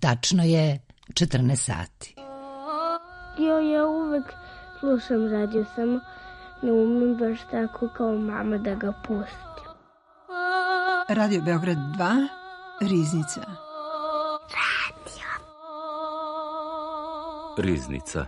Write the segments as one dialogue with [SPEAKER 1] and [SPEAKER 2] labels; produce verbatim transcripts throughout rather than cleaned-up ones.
[SPEAKER 1] Tačno je četrnaest sati.
[SPEAKER 2] Jo, ja uvek slušam radio, samo ne umem baš tako kao mama da ga pustim.
[SPEAKER 3] Radio Beograd dva, Riznica.
[SPEAKER 2] Radio.
[SPEAKER 4] Riznica.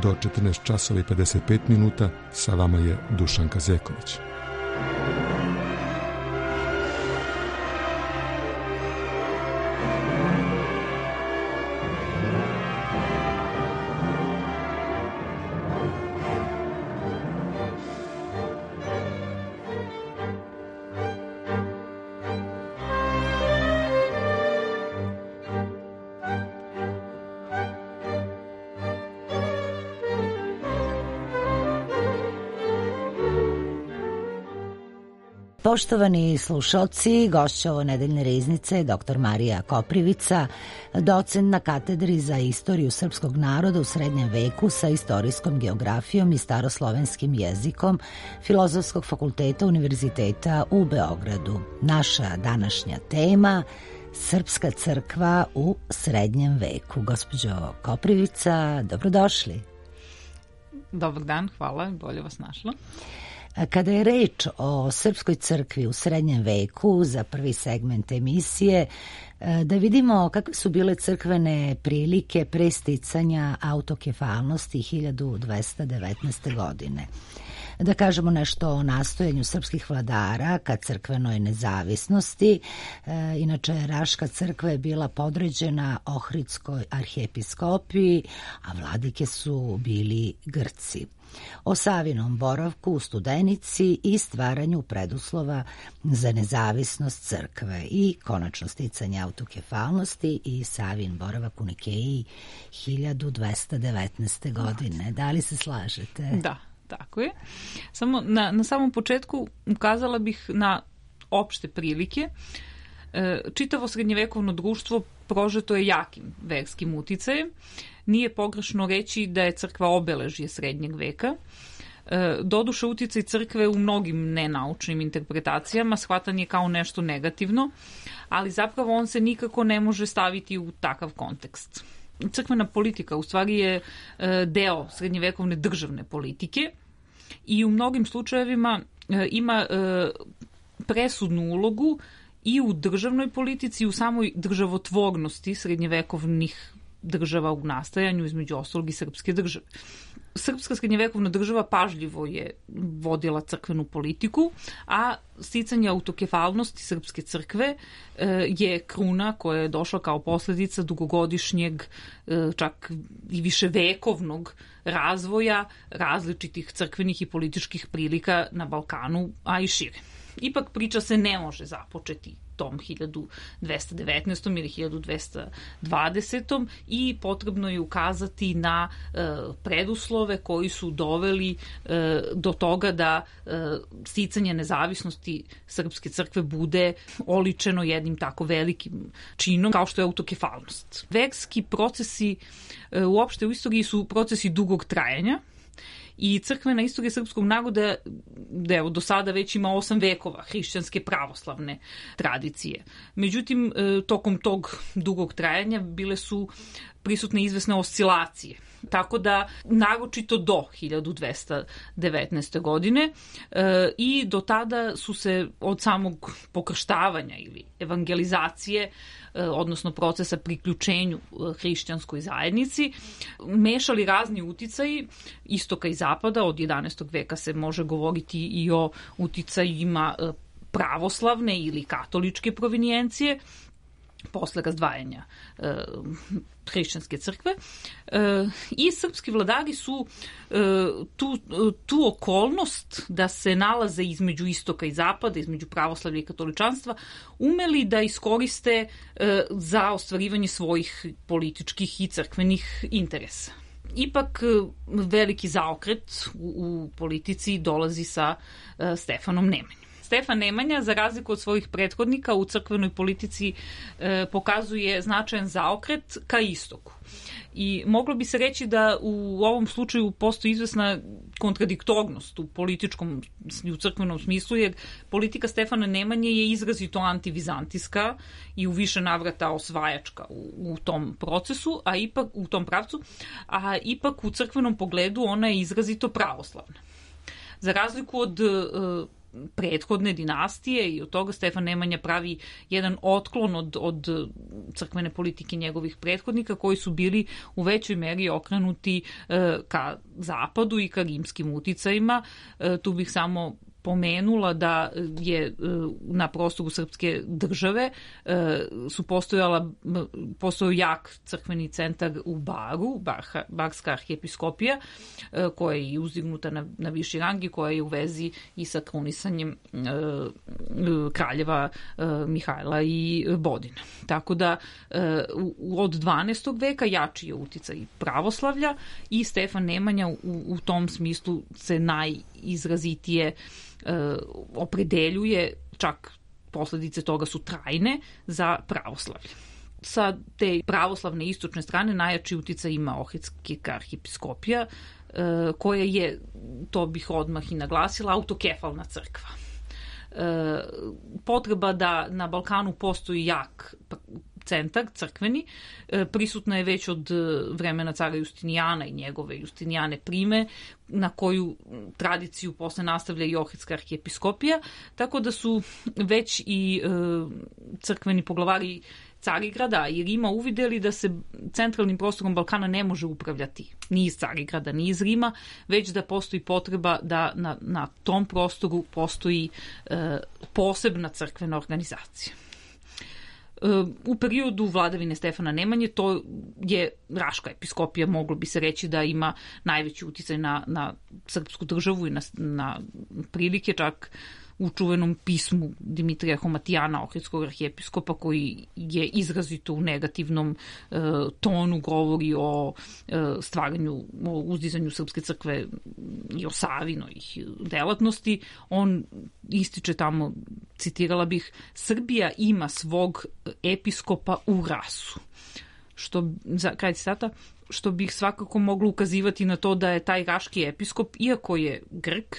[SPEAKER 5] Do četrnaest časova i pedeset pet minuta sa vama je Dušanka Zeković.
[SPEAKER 1] Poštovani slušalci, gošća ovo nedeljne riznice je doktor Marija Koprivica, docent na katedri za istoriju srpskog naroda u srednjem veku sa istorijskom geografijom i staroslovenskim jezikom Filozofskog fakulteta Univerziteta u Beogradu. Naša današnja tema – Srpska crkva u srednjem veku. Gospođo Koprivica, dobrodošli.
[SPEAKER 6] Dobar dan, hvala, bolje vas našla.
[SPEAKER 1] Kada je reč o Srpskoj crkvi u srednjem veku, za prvi segment emisije, da vidimo kakve su bile crkvene prilike pre sticanja autokefalnosti hiljadu dvesta devetnaeste. godine. Da kažemo nešto o nastojanju srpskih vladara ka crkvenoj nezavisnosti. E, inače, Raška crkva je bila podređena Ohridskoj arhijepiskopiji, a vladike su bili Grci. O Savinom boravku u Studenici i stvaranju preduslova za nezavisnost crkve i konačno sticanje autokefalnosti i Savin boravak u Nikeji hiljadu dvesta devetnaeste. godine. Da li se slažete?
[SPEAKER 6] Da, tako je. Samo na, na samom početku ukazala bih na opšte prilike. Čitavo srednjevekovno društvo prožeto je jakim verskim uticajem. Nije pogrešno reći da je crkva obeležje srednjeg veka. Doduše, uticaj crkve u mnogim nenaučnim interpretacijama shvatan je kao nešto negativno, ali zapravo on se nikako ne može staviti u takav kontekst. Crkvena politika u stvari je deo srednjevekovne državne politike i u mnogim slučajevima ima presudnu ulogu i u državnoj politici i u samoj državotvornosti srednjevekovnih država u nastajanju, između ostalog i srpske države. Srpska srednjevekovna država pažljivo je vodila crkvenu politiku, a sticanje autokefalnosti srpske crkve je kruna koja je došla kao posledica dugogodišnjeg, čak i viševekovnog razvoja različitih crkvenih i političkih prilika na Balkanu, a i šire. Ipak priča se ne može započeti tom hiljadu dvesta devetnaestom. ili hiljadu dvesta dvadesetom. i potrebno je ukazati na e, preduslove koji su doveli e, do toga da e, sticanje nezavisnosti srpske crkve bude oličeno jednim tako velikim činom kao što je autokefalnost. Verski procesi e, uopšte u istoriji su procesi dugog trajanja. I crkvena istorija srpskog naroda, da evo, do sada već ima osam vekova hrišćanske pravoslavne tradicije. Međutim, tokom tog dugog trajanja bile su prisutne izvesne oscilacije. Tako da, naročito do hiljadu dvesta devetnaeste. godine e, i do tada su se od samog pokrštavanja ili evangelizacije, e, odnosno procesa priključenju hrišćanskoj zajednici, mešali razni uticaji istoka i zapada. Od jedanaestog veka se može govoriti i o uticajima pravoslavne ili katoličke provinijencije, posle razdvajanja e, hrišćanske crkve e, i srpski vladari su e, tu, tu okolnost da se nalaze između istoka i zapada, između pravoslavlja i katoličanstva, umeli da iskoriste e, za ostvarivanje svojih političkih i crkvenih interesa. Ipak veliki zaokret u, u politici dolazi sa e, Stefanom Nemanjom. Stefan Nemanja, za razliku od svojih prethodnika u crkvenoj politici, e, pokazuje značajan zaokret ka istoku. I moglo bi se reći da u ovom slučaju postoji izvesna kontradiktornost u političkom i u crkvenom smislu, jer politika Stefana Nemanje je izrazito antivizantijska i u više navrata osvajačka u, u tom procesu, a ipak u tom pravcu, a ipak u crkvenom pogledu ona je izrazito pravoslavna. Za razliku od e, prethodne dinastije i od toga Stefan Nemanja pravi jedan otklon od, od crkvene politike njegovih prethodnika koji su bili u većoj meri okrenuti e, ka zapadu i ka rimskim uticajima. E, tu bih samo pomenula da je na prostoru srpske države su postojala, postojao jak crkveni centar u Baru, Barha, Barska arhijepiskopija, koja je uzdignuta na, na viši rang i koja je u vezi i sa krunisanjem kraljeva Mihajla i Bodina. Tako da od dvanaestog veka jači je uticaj pravoslavlja i Stefan Nemanja u, u tom smislu se najizrazitije opredeljuje, čak posledice toga su trajne, za pravoslavlje. Sa te pravoslavne istočne strane najjači uticaj ima Ohridska arhijepiskopija, koja je, to bih odmah i naglasila, autokefalna crkva. Potreba da na Balkanu postoji jak centar crkveni prisutna je već od vremena cara Justinijana i njegove Justinijane prime, na koju tradiciju posle nastavlja i Ohridska arhijepiskopija, tako da su već i crkveni poglavari Carigrada i Rima uvideli da se centralnim prostorom Balkana ne može upravljati ni iz Carigrada, ni iz Rima, već da postoji potreba da na, na tom prostoru postoji e, posebna crkvena organizacija. U periodu vladavine Stefana Nemanje to je Raška episkopija, moglo bi se reći da ima najveći uticaj na, na srpsku državu i na, na prilike, čak u čuvenom pismu Dimitrija Homatijana, ohridskog arhijepiskopa, koji je izrazito u negativnom e, tonu govori o e, stvaranju, o uzdizanju srpske crkve i o Savinoj delatnosti. On ističe tamo, citirala bih, Srbija ima svog episkopa u rasu. Što, za kraj citata, što bih svakako moglo ukazivati na to da je taj raški episkop, iako je Grk,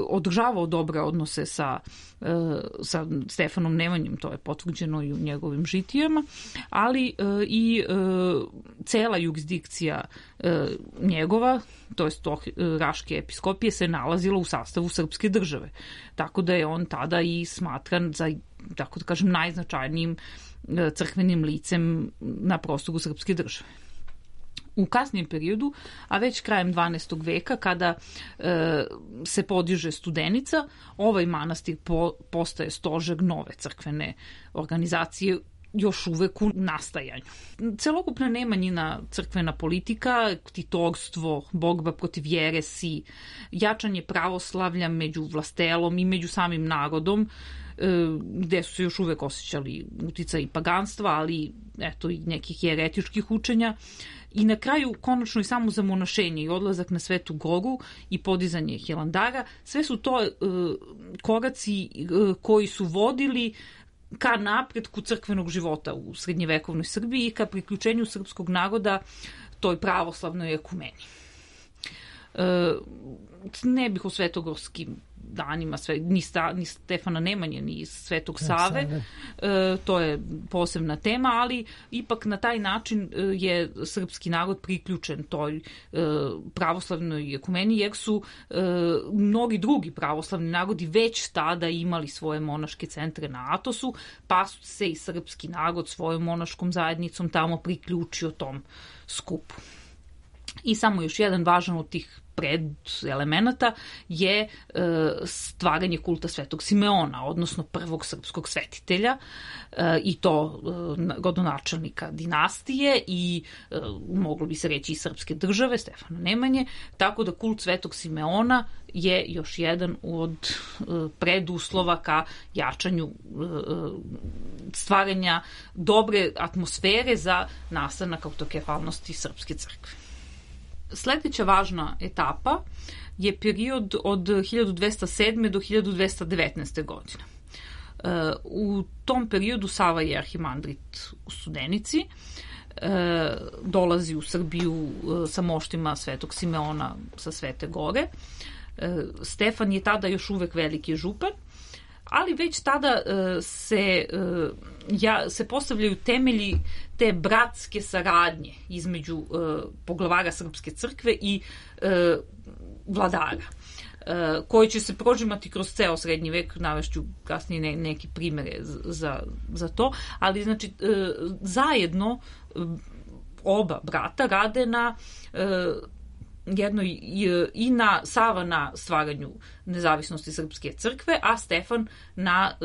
[SPEAKER 6] održavao dobre odnose sa, sa Stefanom Nemanjom, to je potvrđeno i u njegovim žitijama, ali i cela jurisdikcija njegova, to jest Raške episkopije, se nalazila u sastavu srpske države. Tako da je on tada i smatran za, tako da kažem, najznačajnijim crkvenim licem na prostoru srpske države. U kasnijem periodu, a već krajem dvanaestog veka, kada e, se podiže Studenica, ovaj manastir po, postaje stožer nove crkvene organizacije, još uvek u nastajanju. Celokupna Nemanjina crkvena politika, titorstvo, borba protiv jeresi, jačanje pravoslavlja među vlastelom i među samim narodom, gde su se još uvek osjećali uticaj paganstva, ali eto i nekih jeretičkih učenja. I na kraju konačno i samo zamonašenje i odlazak na Svetu Goru i podizanje Hilandara, sve su to uh, koraci uh, koji su vodili ka napretku crkvenog života u srednjevekovnoj Srbiji i ka priključenju srpskog naroda toj pravoslavnoj ekumeni. Uh, ne bih o svetogorskim danima, sve, ni, sta, ni Stefana Nemanje, ni Svetog Save, e, to je posebna tema, ali ipak na taj način je srpski narod priključen toj e, pravoslavnoj ekumeni, jer su e, mnogi drugi pravoslavni narodi već tada imali svoje monaške centre na Atosu, pa su se i srpski narod svojom monaškom zajednicom tamo priključio tom skupu. I samo još jedan važan od tih predelemenata je e, stvaranje kulta Svetog Simeona, odnosno prvog srpskog svetitelja e, i to e, rodonačelnika dinastije i e, moglo bi se reći i srpske države, Stefana Nemanje, tako da kult Svetog Simeona je još jedan od e, preduslova ka jačanju e, stvaranja dobre atmosfere za nastanak autokefalnosti Srpske crkve. Sledeća važna etapa je period od hiljadu dvesta sedme. do hiljadu dvesta devetnaeste. godine. U tom periodu Sava je arhimandrit u Studenici, dolazi u Srbiju sa moštima Svetog Simeona sa Svete Gore. Stefan je tada još uvek veliki župan, ali već tada se, ja, se postavljaju temelji te bratske saradnje između poglavara Srpske crkve i vladara, koji će se prožimati kroz ceo srednji vek, navešću kasnije ne, neki primere za, za to, ali znači zajedno oba brata rade na jedno i na Sava na stvaranju nezavisnosti Srpske crkve, a Stefan na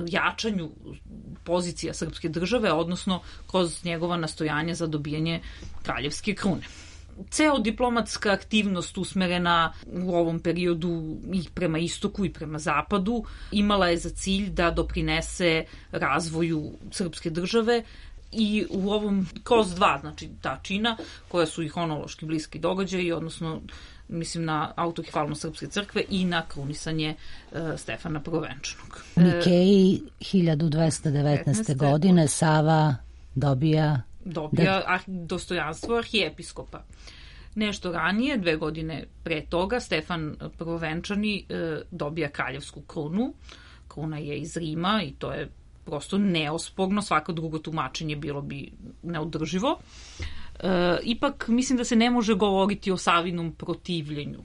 [SPEAKER 6] jačanju pozicija Srpske države, odnosno kroz njegova nastojanja za dobijanje kraljevske krune. Ceo diplomatska aktivnost usmerena u ovom periodu i prema istoku i prema zapadu imala je za cilj da doprinese razvoju Srpske države i u ovom kroz dva, znači ta čina koja su i hronološki bliski događaji, odnosno mislim na autokefalnost Srpske crkve i na krunisanje uh, Stefana Prvovenčanog.
[SPEAKER 1] Nikeji hiljadu dvesta devetnaeste. godine Sava dobija
[SPEAKER 6] dobija da... dostojanstvo arhijepiskopa. Nešto ranije, dve godine pre toga, Stefan Prvovenčani uh, dobija kraljevsku krunu. Kruna je iz Rima i to je prosto neosporno, svako drugo tumačenje bilo bi neodrživo. E, ipak mislim da se ne može govoriti o Savinom protivljenju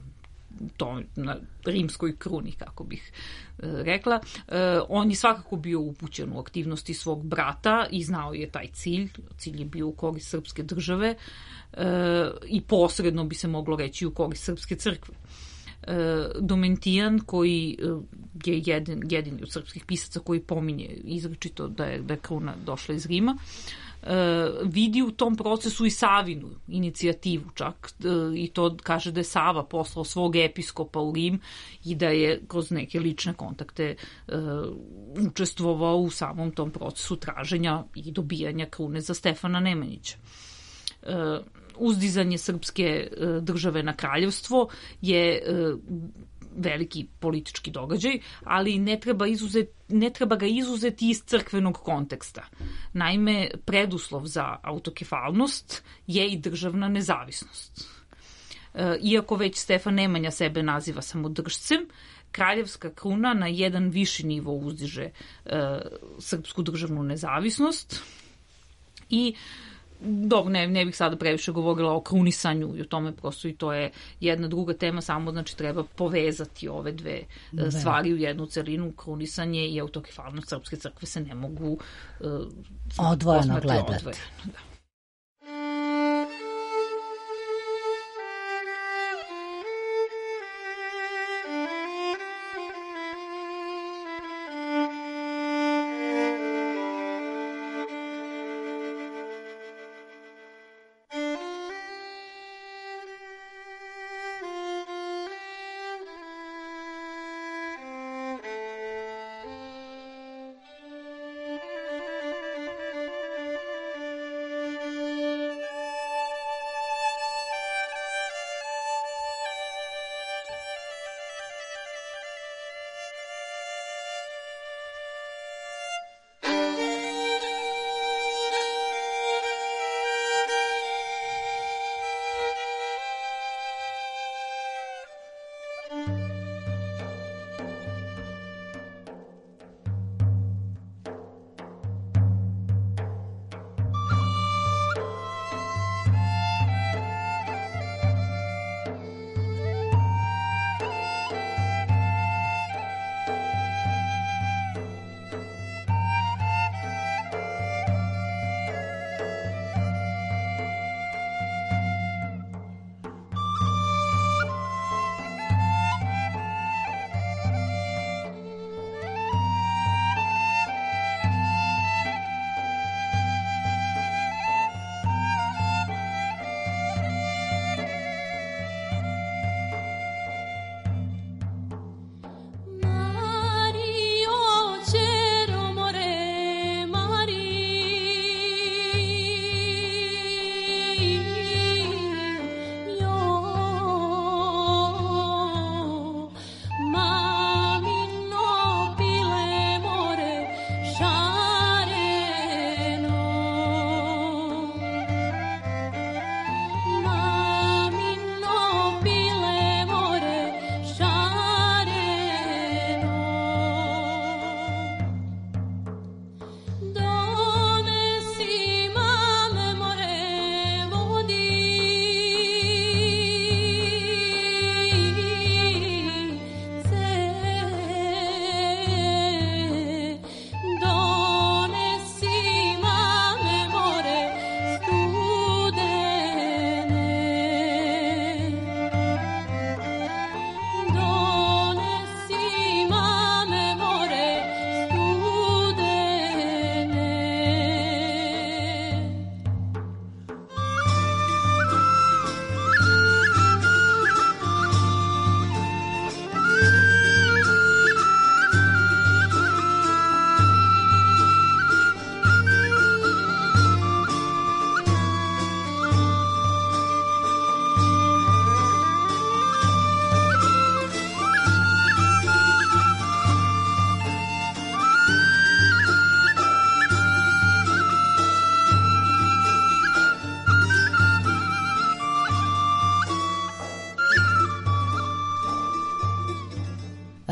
[SPEAKER 6] to na rimskoj kruni, kako bih e, rekla. E, on je svakako bio upućen u aktivnosti svog brata i znao je taj cilj. Cilj je bio u korist Srpske države e, i posredno bi se moglo reći u korist Srpske crkve. Domentijan, koji je jedin, jedini od srpskih pisaca koji pominje izričito da je, da je kruna došla iz Rima, vidi u tom procesu i Savinu inicijativu čak, i to kaže da je Sava poslao svog episkopa u Rim i da je kroz neke lične kontakte učestvovao u samom tom procesu traženja i dobijanja krune za Stefana Nemanjića. Uzdizanje srpske države na kraljevstvo je veliki politički događaj, ali ne treba, izuzet, ne treba ga izuzeti iz crkvenog konteksta. Naime, preduslov za autokefalnost je i državna nezavisnost. Iako već Stefan Nemanja sebe naziva samodržcem, kraljevska kruna na jedan viši nivo uzdiže srpsku državnu nezavisnost i Dobro, ne, ne bih sada previše govorila o krunisanju i o tome, prosto i to je jedna druga tema, samo znači treba povezati ove dve ne. stvari u jednu celinu. Krunisanje i autokefalnost Srpske crkve se ne mogu uh,
[SPEAKER 1] odvojeno gledati. Odvojeno, da.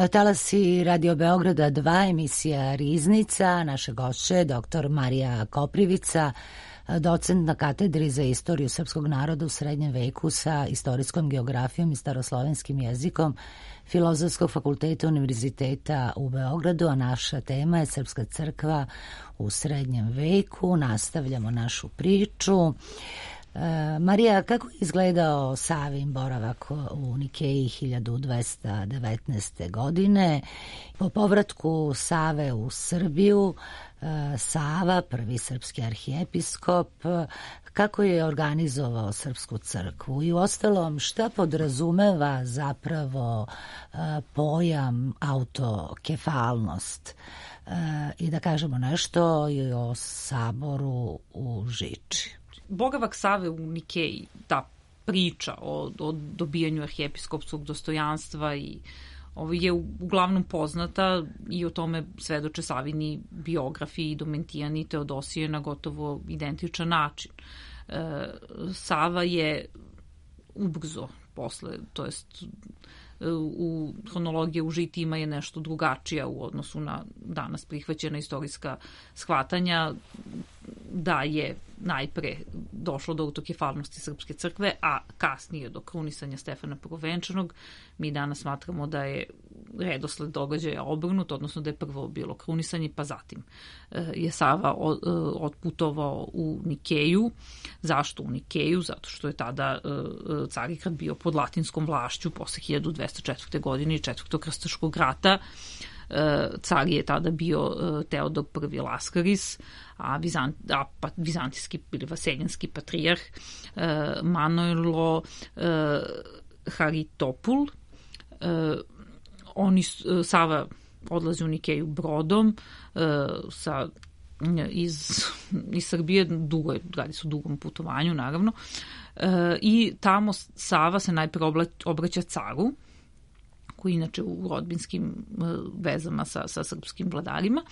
[SPEAKER 1] Talasi Radio Beograda dva, emisija Riznica, naše gošće, doktor Marija Koprivica, docent na katedri za istoriju srpskog naroda u srednjem veku sa istorijskom geografijom i staroslovenskim jezikom Filozofskog fakulteta Univerziteta u Beogradu, a naša tema je Srpska crkva u srednjem veku. Nastavljamo našu priču. E, Marija, kako je izgledao Savin boravak u Nikeji hiljadu dvesta devetnaeste. godine? Po povratku Save u Srbiju, e, Sava, prvi srpski arhijepiskop, kako je organizovao Srpsku crkvu i uostalom šta podrazumeva zapravo e, pojam autokefalnost, e, i da kažemo nešto i o saboru u Žiči.
[SPEAKER 6] Boravak Save u Nikeji, ta priča o, o dobijanju arhijepiskopskog dostojanstva i ovo je uglavnom poznata i o tome svedoče Savini biografi i Domentijani i Teodosije na gotovo identičan način. E, Sava je ubrzo posle, to jest u hronologije u žitima je nešto drugačija u odnosu na danas prihvaćena istorijska shvatanja, da je najpre došlo do autokefalnosti Srpske crkve, a kasnije do krunisanja Stefana Prvovenčanog. Mi danas smatramo da je redosled događaja obrnut, odnosno da je prvo bilo krunisanje, pa zatim je Sava otputovao u Nikeju. Zašto u Nikeju? Zato što je tada Carigrad bio pod latinskom vlašću posle hiljadu dvesta četvrte. godine i Četvrtog krstaškog rata. Car je tada bio Teodor prvi Laskaris, a, Bizant, a pa, vizantijski ili vaseljanski patrijarh Manojlo Haritopul. Oni, Sava odlazi u Nikeju brodom sa, iz, iz Srbije, dugo je, radi se o dugom putovanju naravno, i tamo Sava se najpre obraća caru, koji inače u rodbinskim vezama sa, sa srpskim vladarima.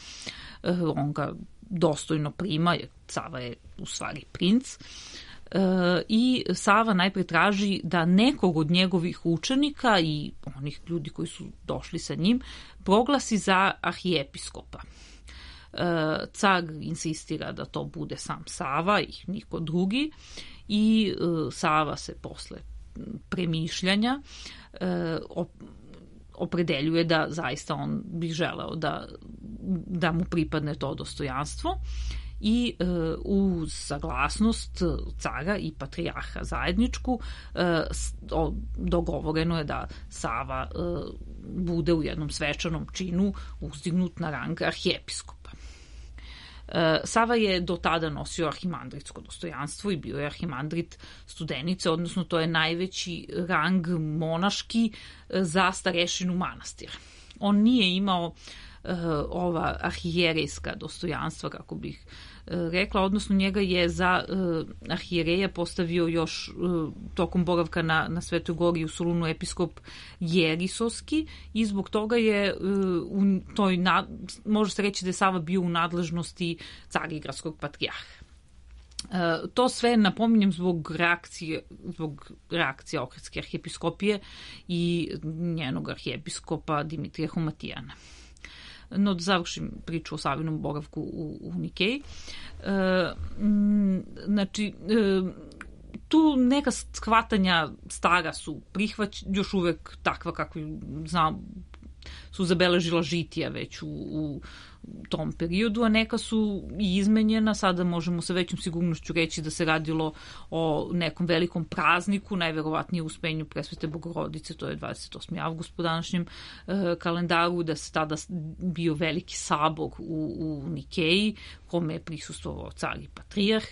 [SPEAKER 6] On ga dostojno prima, jer Sava je u stvari princ. I Sava najpre traži da nekog od njegovih učenika i onih ljudi koji su došli sa njim proglasi za arhijepiskopa. Car insistira da to bude sam Sava i niko drugi, i Sava se posle premišljanja opredeljuje da zaista on bi želeo da, da mu pripadne to dostojanstvo, i e, uz saglasnost cara i patrijarha zajedničku e, o, dogovoreno je da Sava e, bude u jednom svečanom činu uzdignut na rang arhijepiskopa. E, Sava je do tada nosio arhimandritsko dostojanstvo i bio je arhimandrit Studenice, odnosno to je najveći rang monaški za starešinu manastira. On nije imao ova arhijerejska dostojanstva, kako bih rekla, odnosno njega je za arhijereja postavio još tokom boravka na, na Svetoj gori u Solunu episkop Jerisovski, i zbog toga je u toj, može se reći da je Sava bio u nadležnosti Carigradskog patrijarha. To sve napominjem zbog reakcije, zbog reakcije Ohridske arhijepiskopije i njenog arhijepiskopa Dimitrija Humatijana. No, da završim priču o Savinom boravku u, u Nikeji. E, znači, e, tu neka shvatanja stara su prihvać, još uvek takva kako znam, su zabeležila žitija već u, u tom periodu, a neka su i izmenjena. Sada možemo sa većom sigurnošću reći da se radilo o nekom velikom prazniku, najverovatnije uspenju Presvete Bogorodice, to je dvadeset osmi avgust po današnjem e, kalendaru, da se tada bio veliki sabor u, u Nikeji, kome je prisustvovao car i patrijarh,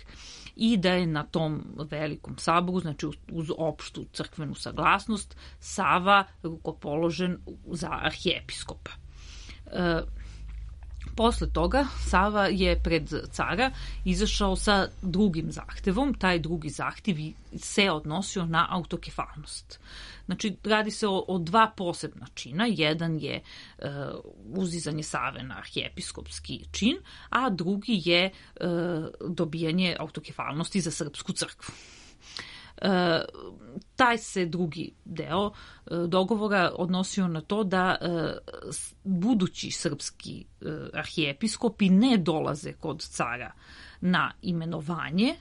[SPEAKER 6] i da je na tom velikom saboru, znači uz, uz opštu crkvenu saglasnost, Sava rukopoložen za arhijepiskopa. E, Posle toga Sava je pred cara izašao sa drugim zahtevom. Taj drugi zahtev se odnosio na autokefalnost. Znači, radi se o, o dva posebna čina. Jedan je e, uzizanje Save na arhijepiskopski čin, a drugi je e, dobijanje autokefalnosti za Srpsku crkvu. Taj se drugi deo dogovora odnosio na to da budući srpski arhijepiskopi ne dolaze kod cara na imenovanje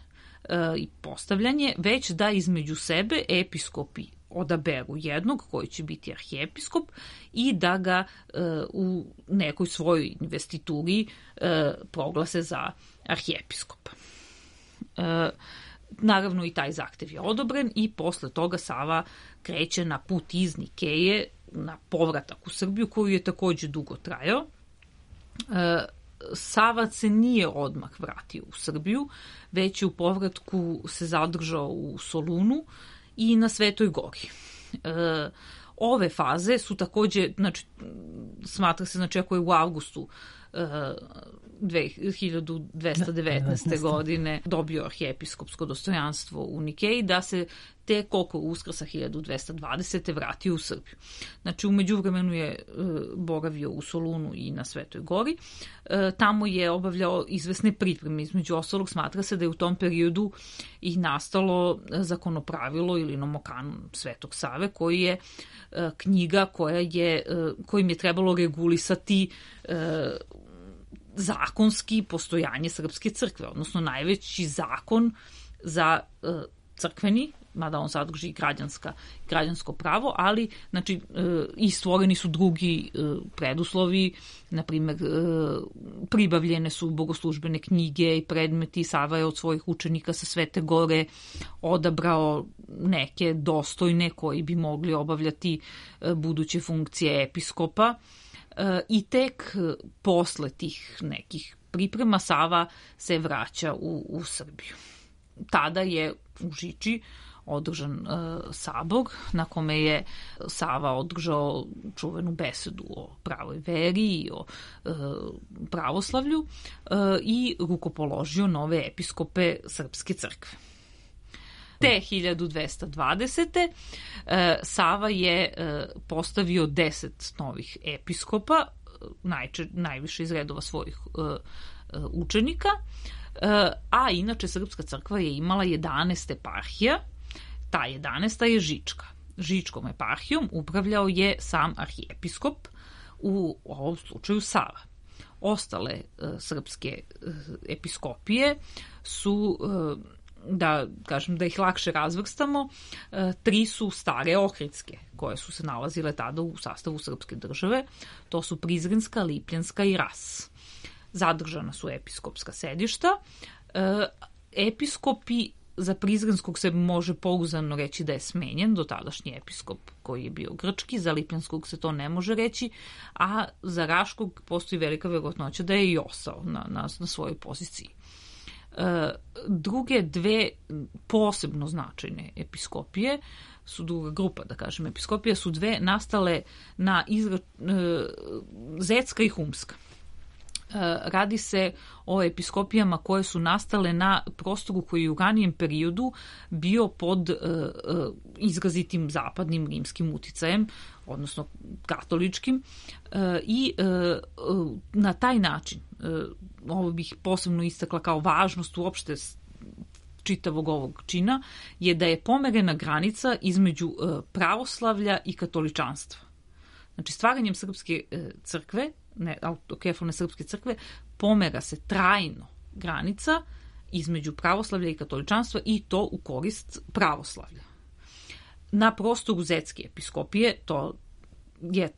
[SPEAKER 6] i postavljanje, već da između sebe episkopi odaberu jednog koji će biti arhijepiskop i da ga u nekoj svojoj investituri proglase za arhijepiskopa. Naravno i taj zahtev je odobren i posle toga Sava kreće na put iz Nikeje na povratak u Srbiju, koju je takođe dugo trajao. Sava se nije odmah vratio u Srbiju, već je u povratku se zadržao u Solunu i na Svetoj Gori. Ove faze su takođe, znači, smatra se, znači, ako je u avgustu hiljadu dvesta devetnaeste. godine dobio arhijepiskopsko dostojanstvo u Nikeji, da se tek oko Uskrsa hiljadu dvesta dvadesete. vratio u Srbiju. Znači, u međuvremenu je boravio u Solunu i na Svetoj Gori. Tamo je obavljao izvesne pripreme. Između ostalog, smatra se da je u tom periodu i nastalo zakonopravilo ili nomokanon Svetog Save, koji je knjiga koja je, kojim je trebalo regulisati zakonski postojanje Srpske crkve, odnosno najveći zakon za crkveni, mada on sadrži i građanska, građansko pravo, ali znači, i stvoreni su drugi preduslovi, na primjer pribavljene su bogoslužbene knjige i predmeti. Sava je od svojih učenika sa Svete Gore odabrao neke dostojne koji bi mogli obavljati buduće funkcije episkopa. I tek posle tih nekih priprema Sava se vraća u, u Srbiju. Tada je u Žiči održan uh, sabor na kome je Sava održao čuvenu besedu o pravoj veri i o uh, pravoslavlju uh, i rukopoložio nove episkope Srpske crkve. Te hiljadu dvesta dvadesete. Sava je postavio deset novih episkopa, najče, najviše iz redova svojih učenika, a inače Srpska crkva je imala jedanaest eparhija. Ta jedanaesta je Žička. Žičkom eparhijom upravljao je sam arhijepiskop, u ovom slučaju Sava. Ostale srpske episkopije su, da kažem, da ih lakše razvrstamo, tri su stare ohridske, koje su se nalazile tada u sastavu srpske države. To su Prizrenska, Lipljanska i Ras. Zadržana su episkopska sedišta. Episkopi, za Prizrenskog se može pouzdano reći da je smenjen dotadašnji episkop koji je bio grčki, za Lipljanskog se to ne može reći, a za Raškog postoji velika verovatnoća da je i ostao na, na, na svojoj poziciji. Druge dve posebno značajne episkopije su, druga grupa, da kažem, episkopije su dve nastale na izra... Zetska i Humska. Radi se o episkopijama koje su nastale na prostoru koji je u ranijem periodu bio pod izrazitim zapadnim rimskim uticajem, odnosno katoličkim, i na taj način, ovo bih posebno istakla kao važnost uopšte čitavog ovog čina, je da je pomerena granica između pravoslavlja i katoličanstva. Znači, stvaranjem Srpske crkve, ne, autokefalne Srpske crkve, pomera se trajno granica između pravoslavlja i katoličanstva, i to u korist pravoslavlja. Na prostoru Zetske episkopije to je,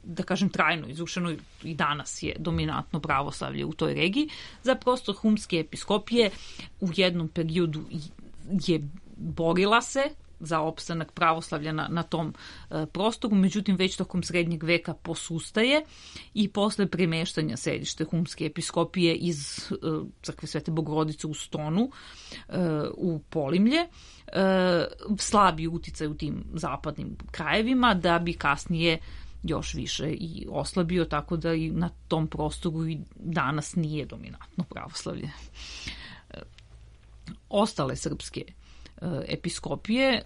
[SPEAKER 6] da kažem, trajno izrušeno i danas je dominantno pravoslavlje u toj regiji. Za prostor Humske episkopije u jednom periodu je borila se za opstanak pravoslavlja na, na tom e, prostoru, međutim već tokom srednjeg veka posustaje i posle premeštanja sedište Humske episkopije iz e, crkve Svete Bogorodice u Stonu e, u Polimlje, e, slabi uticaj u tim zapadnim krajevima, da bi kasnije još više i oslabio, tako da i na tom prostoru i danas nije dominantno pravoslavlje. E, ostale srpske episkopije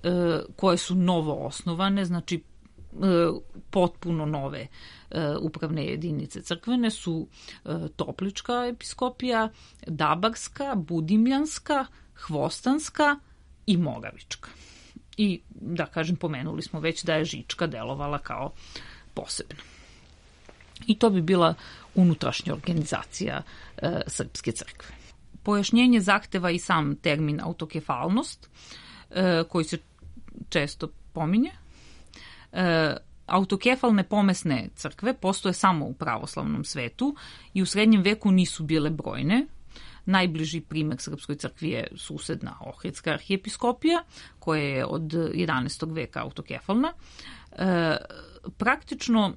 [SPEAKER 6] koje su novo osnovane, znači potpuno nove upravne jedinice crkvene, su Toplička episkopija, Dabarska, Budimljanska, Hvostanska, i Moravička. I, da kažem, pomenuli smo već da je Žička delovala kao posebna. I to bi bila unutrašnja organizacija e, Srpske crkve. Pojašnjenje zahteva i sam termin autokefalnost, e, koji se često pominje. E, autokefalne pomesne crkve postoje samo u pravoslavnom svetu i u srednjem veku nisu bile brojne. Najbliži primer Srpskoj crkvi je susedna Ohridska arhijepiskopija, koja je od jedanaestog veka autokefalna. E, praktično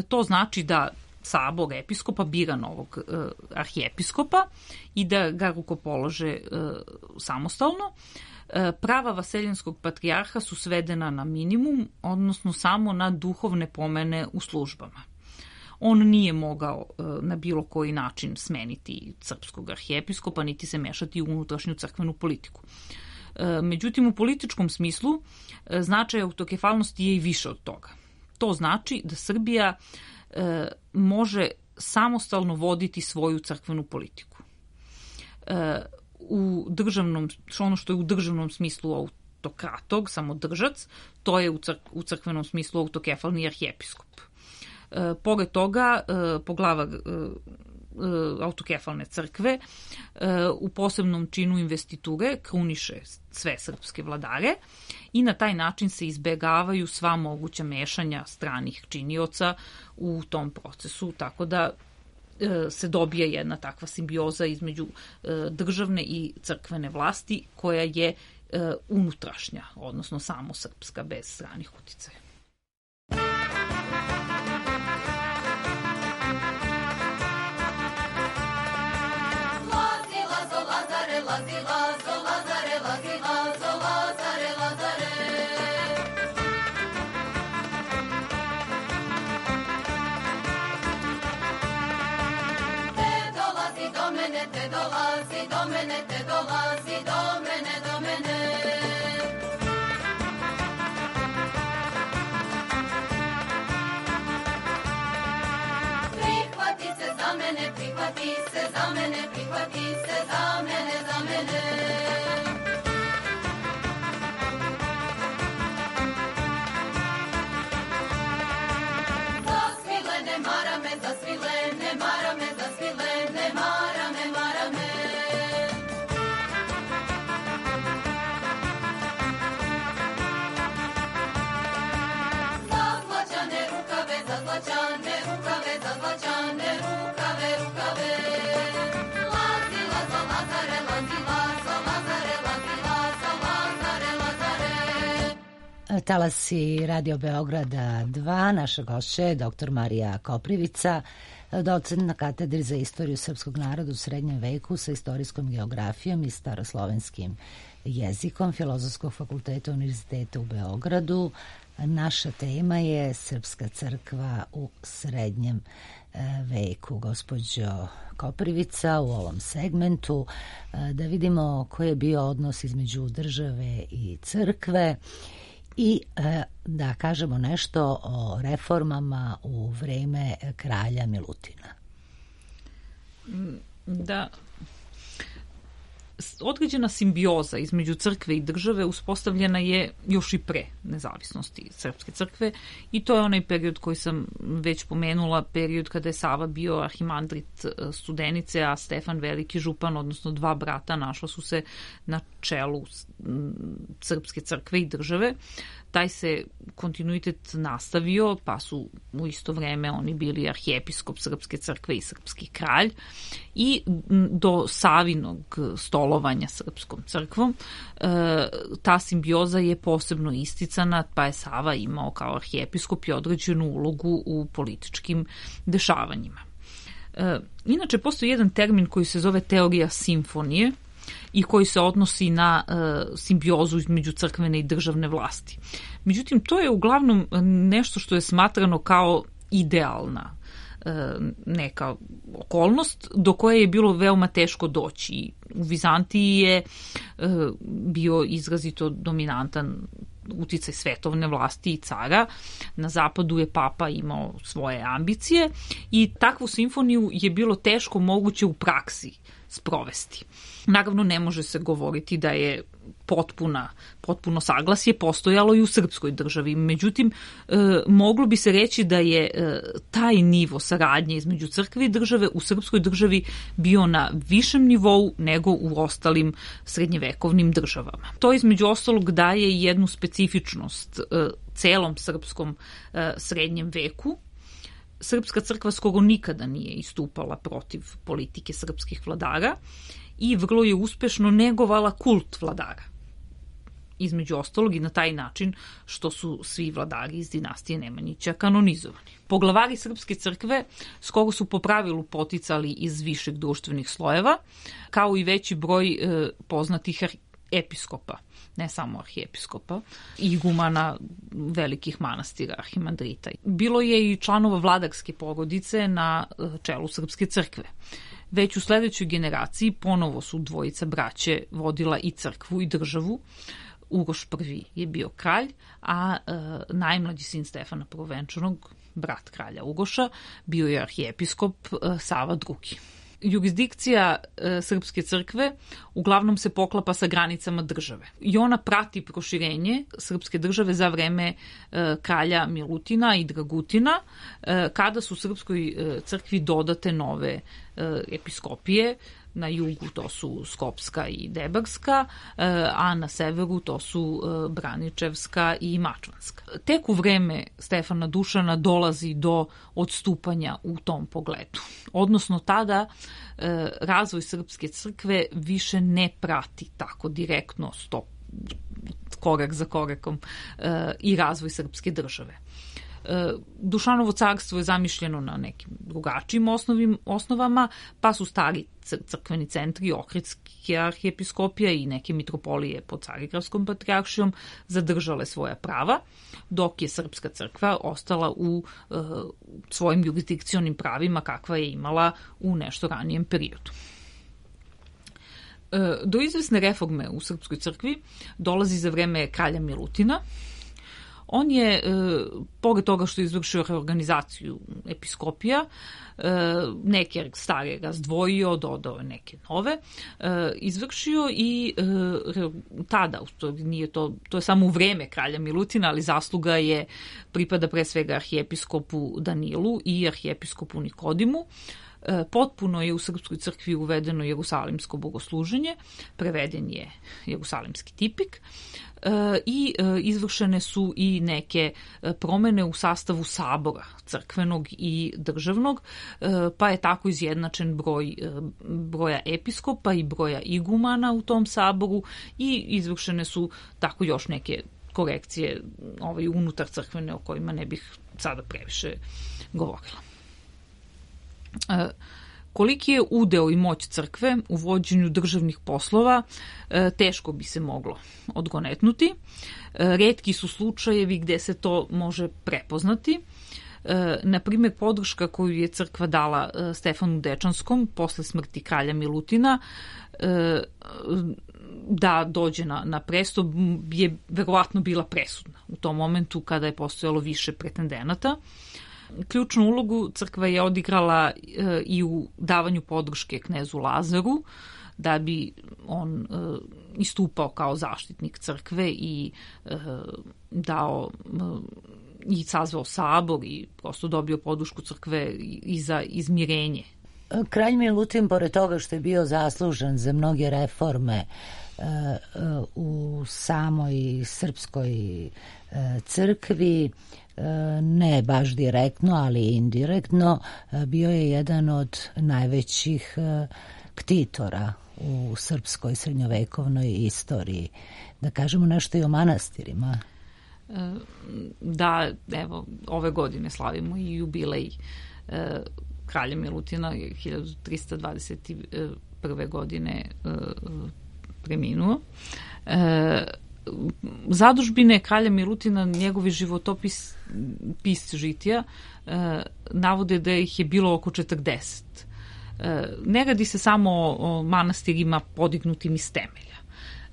[SPEAKER 6] to znači da sabor episkopa bira novog e, arhijepiskopa i da ga rukopolože e, samostalno. E, prava vaseljenskog patrijarha su svedena na minimum, odnosno samo na duhovne pomene u službama. On nije mogao e, na bilo koji način smeniti srpskog arhijepiskopa, niti se mešati u unutrašnju crkvenu politiku. E, međutim, u političkom smislu e, značaj autokefalnosti je i više od toga. To znači da Srbija e, može samostalno voditi svoju crkvenu politiku. E, u državnom, ono što je u državnom smislu autokratog, samodržac, to je u, crk, u crkvenom smislu autokefalni arhijepiskop. E, pored toga, e, poglava e, autokefalne crkve e, u posebnom činu investiture kruniše sve srpske vladare i na taj način se izbegavaju sva moguća mešanja stranih činioca u tom procesu, tako da e, se dobije jedna takva simbioza između e, državne i crkvene vlasti koja je e, unutrašnja, odnosno samo srpska bez stranih uticaja.
[SPEAKER 4] Lazi, lazo, lazare, lazi, lazo, lazare, lazare. Te dolazi do mene, te dolazi do mene, te dolazi do mene, do mene. Prihvati se za mene, prihvati se za mene, prihvati se za mene, za mene. Zasvile ne mara me, zasvile ne mara me, zasvile ne mara me, mara me. Zazlačane rukave, zazlačane rukave, zazlačane rukave, rukave. Lazi, lazo, lazare, lazi, lazo, lazare, lazi, lazo, lazare, lazare.
[SPEAKER 1] Talasi Radio Beograda dva, naša gošća je doktor Marija Koprivica, docent na katedri za istoriju srpskog naroda u srednjem veku sa istorijskom geografijom i staroslovenskim jezikom Filozofskog fakulteta Univerziteta u Beogradu. Naša tema je Srpska crkva u srednjem veku. Gospođo Koprivica, u ovom segmentu da vidimo koji je bio odnos između države i crkve i da kažemo nešto o reformama u vreme kralja Milutina.
[SPEAKER 6] Da, određena simbioza između crkve i države uspostavljena je još i pre nezavisnosti Srpske crkve i to je onaj period koji sam već pomenula, period kada je Sava bio arhimandrit Studenice, a Stefan Veliki župan, odnosno dva brata našla su se na čelu Srpske crkve i države. Taj se kontinuitet nastavio, pa su u isto vreme oni bili arhijepiskop Srpske crkve i srpski kralj i do Savinog stolovanja Srpskom crkvom ta simbioza je posebno isticana, pa je Sava imao kao arhijepiskop i određenu ulogu u političkim dešavanjima. Inače, postoji jedan termin koji se zove teorija simfonije i koji se odnosi na uh, simbiozu između crkvene i državne vlasti. Međutim, to je uglavnom nešto što je smatrano kao idealna uh, neka okolnost do koje je bilo veoma teško doći. U Vizantiji je uh, bio izrazito dominantan uticaj svetovne vlasti i cara. Na zapadu je papa imao svoje ambicije i takvu simfoniju je bilo teško moguće u praksi sprovesti. Naravno, ne može se govoriti da je potpuna, potpuno saglasje postojalo i u srpskoj državi. Međutim, e, moglo bi se reći da je e, taj nivo saradnje između crkve i države u srpskoj državi bio na višem nivou nego u ostalim srednjevekovnim državama. To između ostalog daje jednu specifičnost e, celom srpskom e, srednjem veku. Srpska crkva skoro nikada nije istupala protiv politike srpskih vladara i vrlo je uspešno negovala kult vladara. Između ostalog i na taj način što su svi vladari iz dinastije Nemanjića kanonizovani. Poglavari Srpske crkve skoro su po pravilu poticali iz višeg društvenih slojeva, kao i veći broj e, poznatih episkopa, ne samo arhijepiskopa, igumana velikih manastira, arhimandrita. Bilo je i članova vladarske porodice na čelu Srpske crkve. Već u sledećoj generaciji ponovo su dvojica braće vodila i crkvu i državu. Uroš prvi je bio kralj, a e, najmlađi sin Stefana Prvovenčanog, brat kralja Uroša, bio je arhijepiskop e, Sava drugi. Jurisdikcija e, Srpske crkve uglavnom se poklapa sa granicama države i ona prati proširenje Srpske države za vreme e, kralja Milutina i Dragutina, e, kada su Srpskoj e, crkvi dodate nove e, episkopije. Na jugu to su Skopska i Debarska, a na severu to su Braničevska i Mačvanska. Tek u vreme Stefana Dušana dolazi do odstupanja u tom pogledu. Odnosno tada razvoj Srpske crkve više ne prati tako direktno stop, korak za korakom i razvoj Srpske države. Dušanovo carstvo je zamišljeno na nekim drugačijim osnovim, osnovama, pa su stari crkveni centri, Ohridske arhijepiskopija i neke mitropolije pod Carigradskom patrijaršijom zadržale svoja prava, dok je Srpska crkva ostala u e, svojim jurisdikcionim pravima kakva je imala u nešto ranijem periodu. E, do izvesne reforme u Srpskoj crkvi dolazi za vreme kralja Milutina. On je, e, pored toga što je izvršio reorganizaciju episkopija, e, neke stare razdvojio, dodao neke nove, e, izvršio i e, tada, to, nije to, to je samo u vreme kralja Milutina, ali zasluga je pripada pre svega arhijepiskopu Danilu i arhijepiskopu Nikodimu. Potpuno je u Srpskoj crkvi uvedeno jerusalimsko bogosluženje, preveden je jerusalimski tipik i izvršene su i neke promene u sastavu sabora crkvenog i državnog, pa je tako izjednačen broj broja episkopa i broja igumana u tom saboru i izvršene su tako još neke korekcije ovaj, unutar crkvene o kojima ne bih sada previše govorila. E, koliki je udeo i moć crkve u vođenju državnih poslova, e, teško bi se moglo odgonetnuti. E, retki su slučajevi gde se to može prepoznati. E, na primjer, podrška koju je crkva dala e, Stefanu Dečanskom posle smrti kralja Milutina e, da dođe na, na presto je verovatno bila presudna u tom momentu kada je postojalo više pretendenata. Ključnu ulogu crkva je odigrala e, i u davanju podrške knezu Lazaru, da bi on e, istupao kao zaštitnik crkve i e, dao e, i sazvao sabor i prosto dobio podršku crkve i, i za izmirenje.
[SPEAKER 1] Kralj Milutin, pored toga što je bio zaslužan za mnoge reforme e, e, u samoj srpskoj e, crkvi, ne baš direktno, ali indirektno, bio je jedan od najvećih ktitora u srpskoj srednjovekovnoj istoriji. Da kažemo nešto i o manastirima.
[SPEAKER 6] Da, evo, ove godine slavimo i jubilej kralja Milutina, hiljadu trista dvadeset prve. godine preminuo. Zadužbine kralja Milutina, njegovi životopis pis žitija, e, navode da ih je bilo oko četrdeset. E, ne radi se samo o, o manastirima podignutim iz temelja.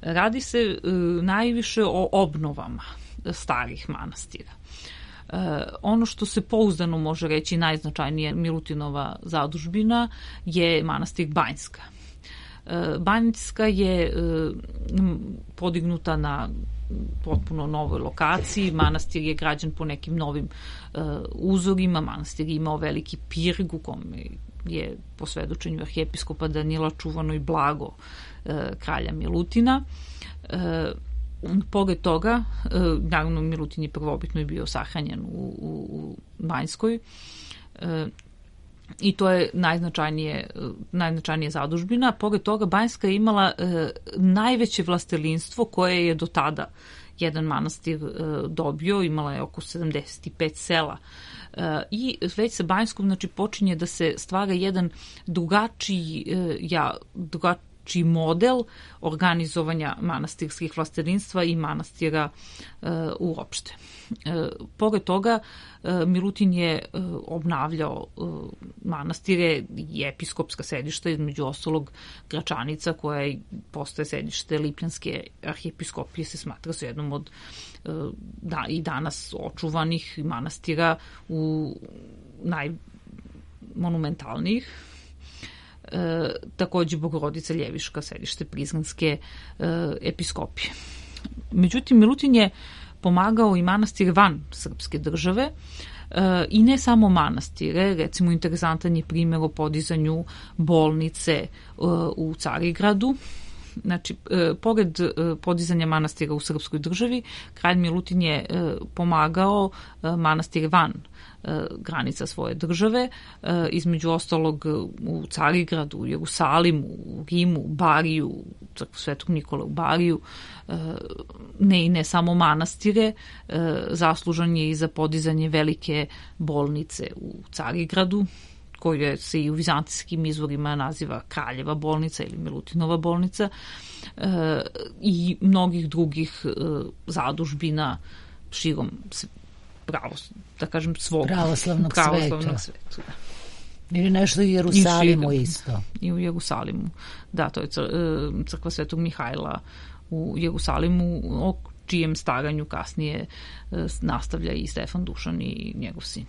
[SPEAKER 6] Radi se e, najviše o obnovama starih manastira. E, ono što se pouzdano može reći najznačajnije Milutinova zadužbina je manastir Banjska. Banjska je podignuta na potpuno novoj lokaciji, manastir je građen po nekim novim uzorima, manastir je imao veliki pirg u kome je po svedočenju arhijepiskopa Danila čuvano i blago kralja Milutina. Pored toga, naravno Milutin je prvobitno i bio sahranjen u, u, u Banjskoj, i to je najznačajnije, najznačajnije zadužbina. Pored toga, Banjska je imala e, najveće vlastelinstvo koje je do tada jedan manastir e, dobio, imala je oko sedamdeset pet sela. E, I već sa Banjskom, znači, počinje da se stvara jedan drugačiji, e, ja, drugačiji čiji model organizovanja manastirskih vlastelinstva i manastira e, uopšte. E, pored toga, e, Milutin je e, obnavljao e, manastire i episkopska sedišta, između ostalog Gračanica, koja je postaje sedište Lipljanske arhijepiskopije, se smatra se jednom od e, da, i danas očuvanih manastira u najmonumentalnijih. E, takođe Bogorodica Ljeviška, sedište Prizrenske e, episkopije. Međutim, Milutin je pomagao i manastire van srpske države e, i ne samo manastire, recimo interesantan je primjer o podizanju bolnice e, u Carigradu. Znači, e, pored e, podizanja manastira u srpskoj državi, kralj Milutin je e, pomagao e, manastire van e, granica svoje države, e, između ostalog u Carigradu, u Jerusalimu, u Rimu, u Bariju, crkvu Svetog Nikole u Bariju, e, ne i ne samo manastire, e, zaslužan je i za podizanje velike bolnice u Carigradu, koja se i u vizantijskim izvorima naziva Kraljeva bolnica ili Milutinova bolnica, e, i mnogih drugih e, zadužbina širom pravo, da kažem, svog
[SPEAKER 1] pravoslavnog,
[SPEAKER 6] pravoslavnog
[SPEAKER 1] sveta.
[SPEAKER 6] sveta.
[SPEAKER 1] Ili nešto u Jerusalimu I isto.
[SPEAKER 6] I u Jerusalimu. Da, to je crkva Svetog Mihajla u Jerusalimu, o čijem staranju kasnije e, nastavlja i Stefan Dušan i njegov sin.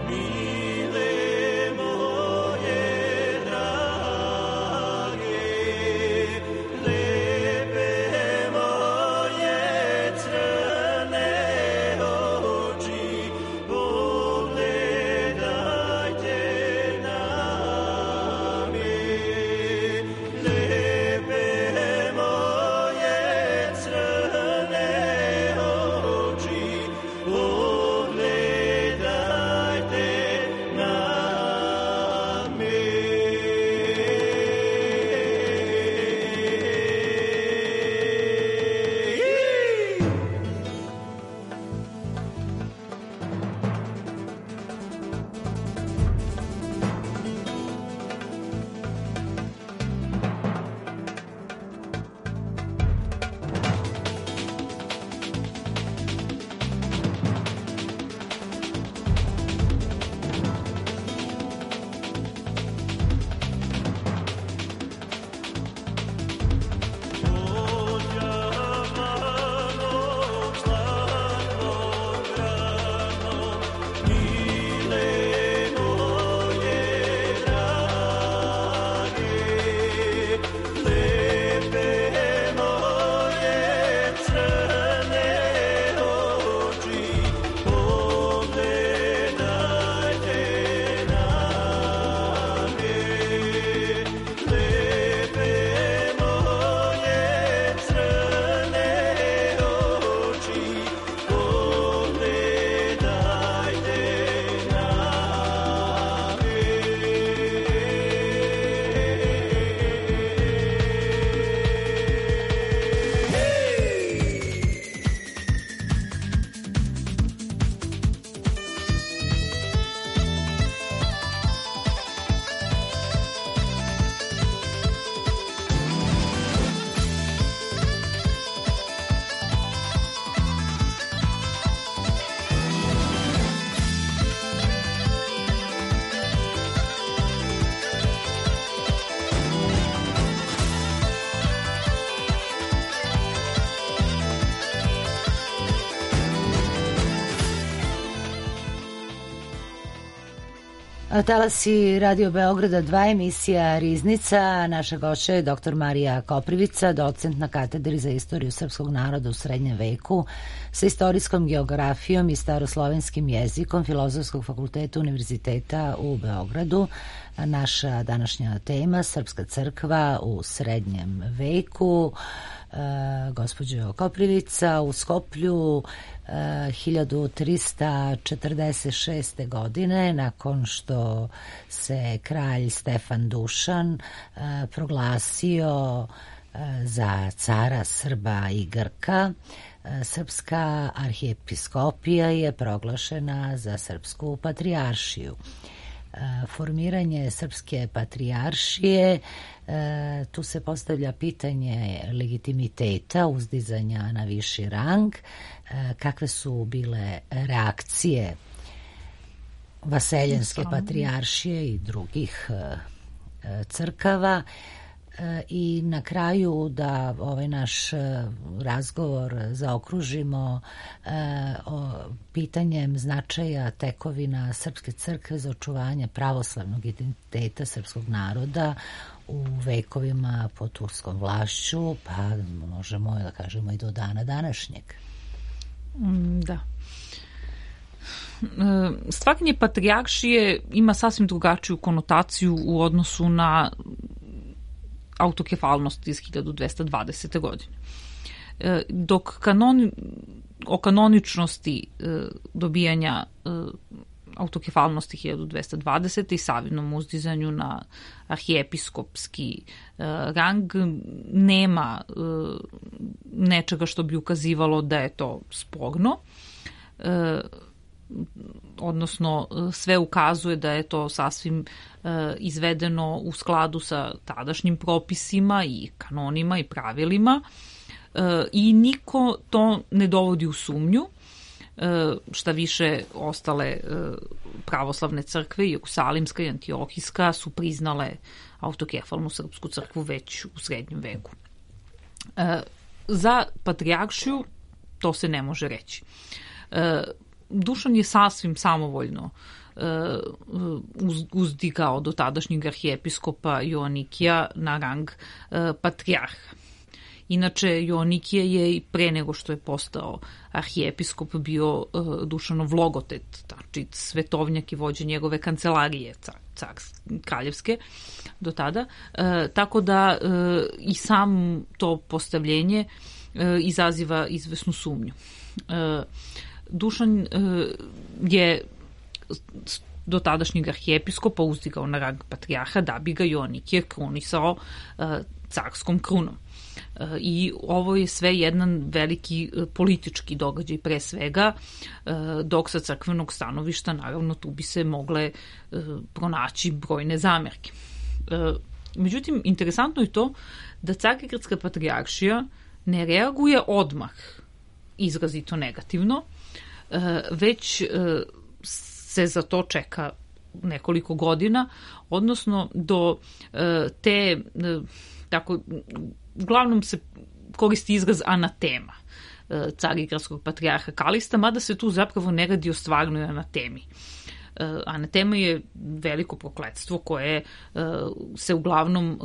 [SPEAKER 7] Mile moje
[SPEAKER 1] Talasi Radio Beograda dva, emisija Riznica. Naša gošća je doktor Marija Koprivica, docent na katedri za istoriju srpskog naroda u srednjem veku sa istorijskom geografijom i staroslovenskim jezikom Filozofskog fakulteta Univerziteta u Beogradu. Naša današnja tema, Srpska crkva u srednjem veku. Uh, gospođo Koprivica, u Skoplju uh, hiljadu trista četrdeset šeste. godine, nakon što se kralj Stefan Dušan uh, proglasio uh, za cara Srba i Grka, uh, Srpska arhijepiskopija je proglašena za Srpsku patrijaršiju. Formiranje Srpske patrijaršije, tu se postavlja pitanje legitimiteta, uzdizanja na viši rang. Kakve su bile reakcije vaseljenske patrijaršije i drugih crkava? I na kraju da ovaj naš razgovor zaokružimo o pitanjem značaja tekovina Srpske crkve za očuvanje pravoslavnog identiteta srpskog naroda u vekovima pod turskom vlašću, pa možemo da kažemo i do dana današnjeg.
[SPEAKER 6] Da. Stvaranje patrijaršije ima sasvim drugačiju konotaciju u odnosu na autokefalnost iz hiljadu dvesta dvadesete. godine. Dok kanon, o kanoničnosti dobijanja autokefalnosti hiljadu dvesta dvadesete. i savjenom uzdizanju na arhijepiskopski rang nema nečega što bi ukazivalo da je to sporno, odnosno sve ukazuje da je to sasvim e, izvedeno u skladu sa tadašnjim propisima i kanonima i pravilima e, i niko to ne dovodi u sumnju. E, šta više, ostale e, pravoslavne crkve, Jerusalimska i Antiohijska, su priznale autokefalnu srpsku crkvu već u srednjem veku. E, za patrijaršiju to se ne može reći. E, Dušan je sasvim samovoljno uh, uzdigao do tadašnjeg arhijepiskopa Joanikija na rang uh, patrijarha. Inače, Joanikije je i pre nego što je postao arhijepiskop bio uh, Dušanov logotet, znači svetovnjak i vođa njegove kancelarije car, car, kraljevske do tada. Uh, tako da uh, i sam to postavljenje uh, izaziva izvesnu sumnju. Uh, Dušan je do tadašnjeg arhijepiskopa uzdigao na rang patrijarha da bi ga Joanikije krunisao carskom krunom. I ovo je sve jedan veliki politički događaj pre svega, dok sa crkvenog stanovišta naravno tu bi se mogle pronaći brojne zamerke. Međutim, interesantno je to da Carigradska patrijaršija ne reaguje odmah izrazito negativno, već se za to čeka nekoliko godina, odnosno do te, tako, uglavnom se koristi izraz anatema Carigradskog patrijarha Kalista, mada se tu zapravo ne radi o stvarnoj anatemi. Anatema je veliko prokletstvo koje se uglavnom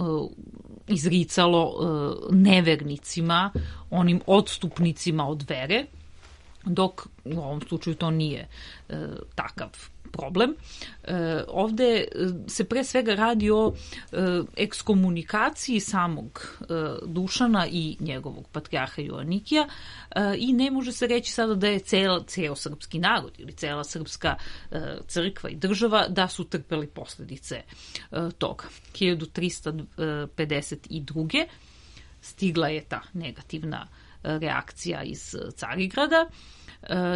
[SPEAKER 6] izricalo nevernicima, onim odstupnicima od vere, dok u ovom slučaju to nije e, takav problem. E, ovde se pre svega radi o e, ekskomunikaciji samog e, Dušana i njegovog patrijarha Joanikija e, i ne može se reći sada da je ceo, ceo srpski narod ili cela srpska e, crkva i država da su trpeli posledice e, toga. hiljadu trista pedeset druge. stigla je ta negativna reakcija iz Carigrada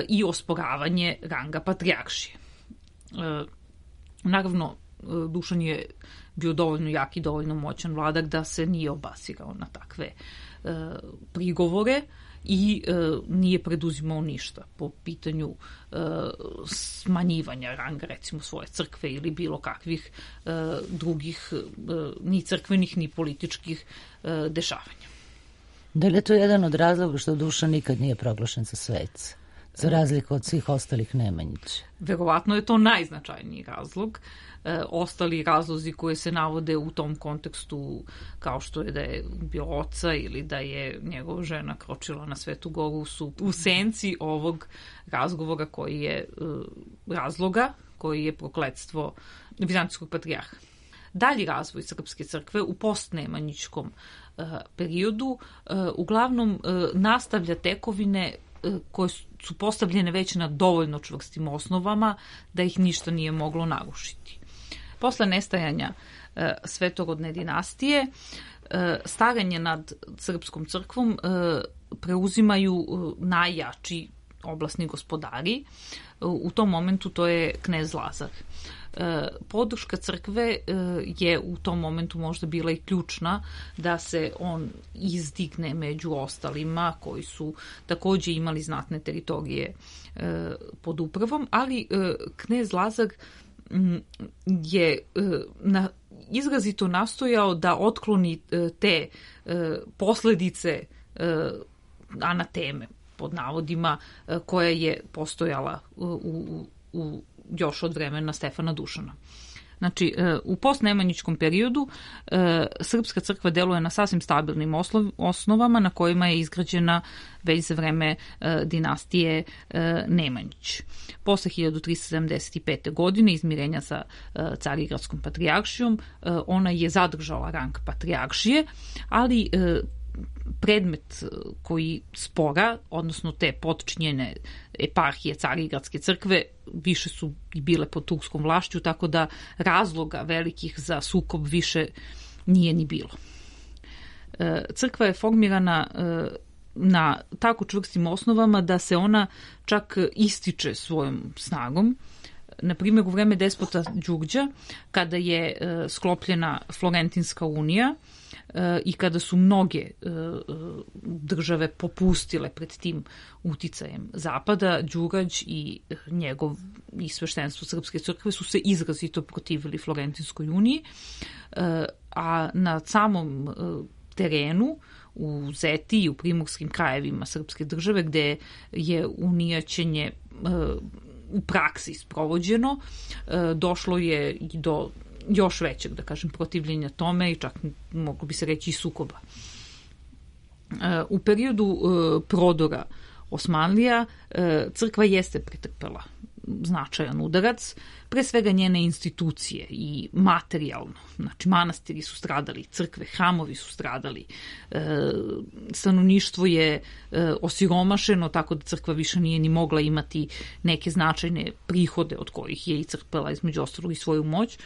[SPEAKER 6] i osporavanje ranga patrijaršije. Naravno, Dušan je bio dovoljno jak i dovoljno moćan vladar da se nije obasirao na takve prigovore i nije preduzimao ništa po pitanju smanjivanja ranga, recimo, svoje crkve ili bilo kakvih drugih ni crkvenih ni političkih dešavanja.
[SPEAKER 1] Da li je to jedan od razloga što Dušan nikad nije proglašen za sveca? Za razliku od svih ostalih Nemanjića.
[SPEAKER 6] Verovatno je to najznačajniji razlog. E, ostali razlozi koje se navode u tom kontekstu, kao što je da je bio oca ili da je njegova žena kročila na Svetu Goru, su u senci ovog razgovora koji je e, razloga, koji je prokletstvo Vizantijskog patrijarha. Dalji razvoj Srpske crkve u postnemanjičkom e, periodu e, uglavnom e, nastavlja tekovine koje su postavljene već na dovoljno čvrstim osnovama da ih ništa nije moglo narušiti. Posle nestajanja e, svetorodne dinastije, e, staranje nad Srpskom crkvom e, preuzimaju e, najjači oblasni gospodari. E, u tom momentu to je knez Lazar. E, podrška crkve e, je u tom momentu možda bila i ključna da se on izdigne među ostalima koji su takođe imali znatne teritorije e, pod upravom, ali e, knez Lazar m, je e, na, izrazito nastojao da otkloni e, te e, posledice e, anateme pod navodima e, koja je postojala u, u, u još od vremena Stefana Dušana. Znači, u postnemanjičkom periodu Srpska crkva deluje na sasvim stabilnim osnovama na kojima je izgrađena već za vreme dinastije Nemanjić. Posle hiljadu trista sedamdeset pete. godine izmirenja sa Carigradskom patrijaršijom, ona je zadržala rang patrijaršije, ali predmet koji spora, odnosno te potčinjene eparhije Carigradske crkve, više su i bile pod turskom vlašću, tako da razloga velikih za sukob više nije ni bilo. Crkva je formirana na tako čvrstim osnovama da se ona čak ističe svojom snagom. Na primjer, u vreme despota Đurđa, kada je sklopljena Florentinska unija, i kada su mnoge države popustile pred tim uticajem Zapada, Đurađ i njegov i sveštenstvo Srpske crkve su se izrazito protivili Florentinskoj uniji, a na samom terenu u Zeti i u primorskim krajevima Srpske države, gde je unijaćenje u praksi sprovođeno, došlo je i do još većeg, da kažem, protivljenja tome i čak moglo bi se reći i sukoba. U periodu prodora Osmanlija crkva jeste pretrpela značajan udarac, pre svega njene institucije i materijalno. Znači, manastiri su stradali, crkve, hramovi su stradali, stanovništvo je osiromašeno, tako da crkva više nije ni mogla imati neke značajne prihode od kojih je i crpela između ostalog i svoju moć.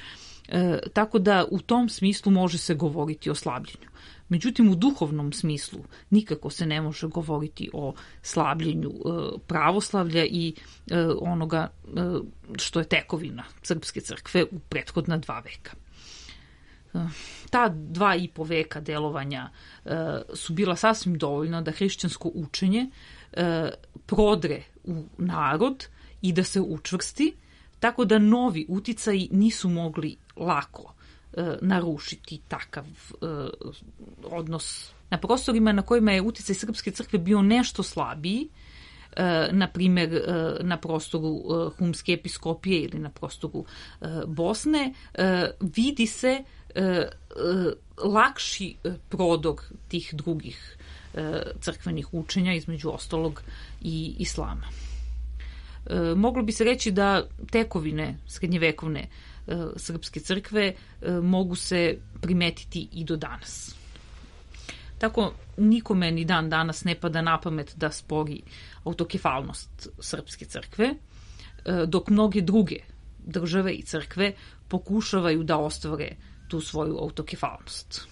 [SPEAKER 6] E, tako da u tom smislu može se govoriti o slabljenju. Međutim, u duhovnom smislu nikako se ne može govoriti o slabljenju e, pravoslavlja i e, onoga e, što je tekovina Srpske crkve u prethodna dva veka. E, ta dva i po veka delovanja e, su bila sasvim dovoljna da hrišćansko učenje e, prodre u narod i da se učvrsti, tako da novi uticaji nisu mogli lako e, narušiti takav e, odnos. Na prostorima na kojima je uticaj Srpske crkve bio nešto slabiji, e, na primjer e, na prostoru e, Humske episkopije ili na prostoru e, Bosne, e, vidi se e, e, lakši prodor tih drugih e, crkvenih učenja, između ostalog i islama. E, moglo bi se reći da tekovine srednjevekovne e, Srpske crkve e, mogu se primetiti i do danas. Tako nikome ni dan danas ne pada na pamet da spori autokefalnost Srpske crkve, e, dok mnoge druge države i crkve pokušavaju da ostvare tu svoju autokefalnost.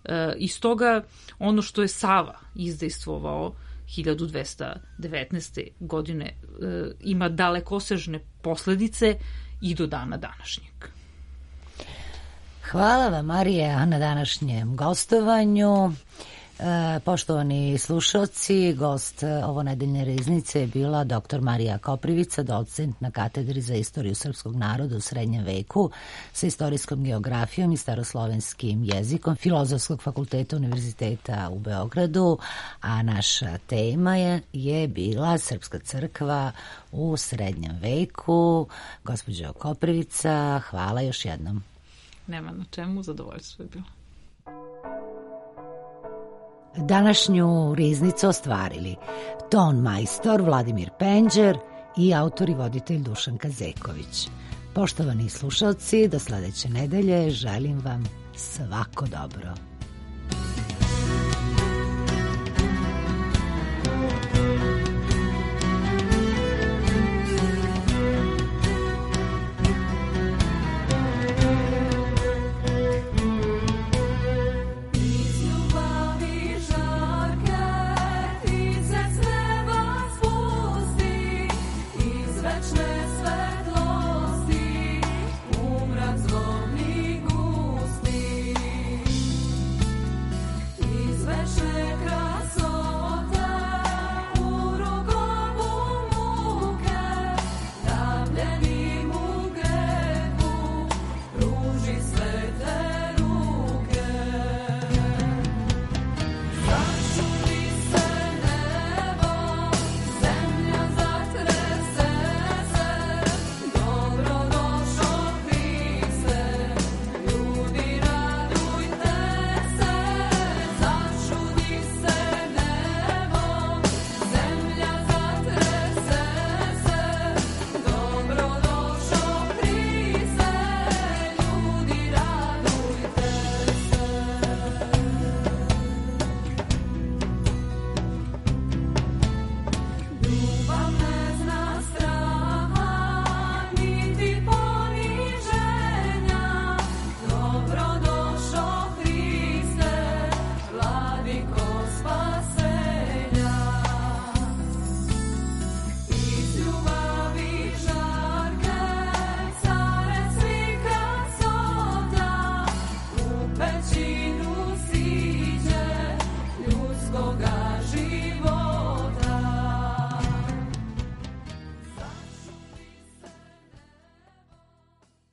[SPEAKER 6] E, iz toga ono što je Sava izdejstvovao hiljadu dvesta devetnaeste. godine e, ima dalekosežne posledice i do dana današnjeg.
[SPEAKER 1] Hvala vam, Marija, na današnjem gostovanju. Poštovani slušalci, gost ovo nedeljne riznice je bila doktor Marija Koprivica, docent na katedri za istoriju srpskog naroda u srednjem veku sa istorijskom geografijom i staroslovenskim jezikom Filozofskog fakulteta Univerziteta u Beogradu, a naša tema je, je bila Srpska crkva u srednjem veku. Gospođo Koprivica, hvala još jednom.
[SPEAKER 6] Nema na čemu, zadovoljstvo je bilo.
[SPEAKER 1] Današnju riznicu ostvarili ton majstor Vladimir Penđer i autor i voditelj Dušanka Zeković. Poštovani slušalci, do sledeće nedelje želim vam svako dobro.